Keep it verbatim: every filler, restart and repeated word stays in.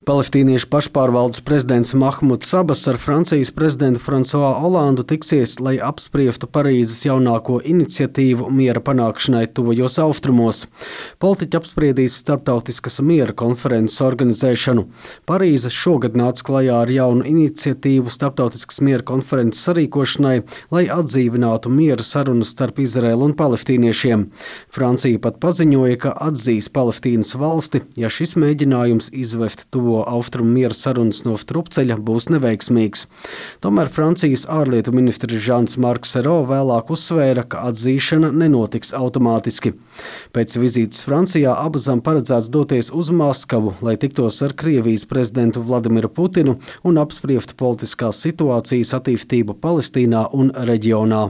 Palestīniešu pašpārvaldes prezidents Mahmuds Abas ar Francijas prezidentu Fransuā Olandu tiksies, lai apspriestu Parīzes jaunāko iniciatīvu miera panākšanai tuvajos austrumos. Politiķi apspriedīs starptautiskas miera konferences organizēšanu. Parīze šogad nāca klajā ar jaunu iniciatīvu starptautiskas miera konferences sarīkošanai, lai atdzīvinātu miera sarunas starp Izraēlu un palestīniešiem. Francija pat paziņoja, ka atzīs Palestīnas valsti, ja šis mēģinājums izvest tuvo austrumu miera sarunas no strupceļa būs neveiksmīgs. Tomēr Francijas ārlietu ministrs Žans Marks Sero vēlāk uzsvēra, ka atzīšana nenotiks automātiski. Pēc vizītes Francijā Abasam paredzēts doties uz Maskavu, lai tiktos ar Krievijas prezidentu Vladimiru Putinu un apspriestu politiskās situācijas attīstību Palestīnā un reģionā.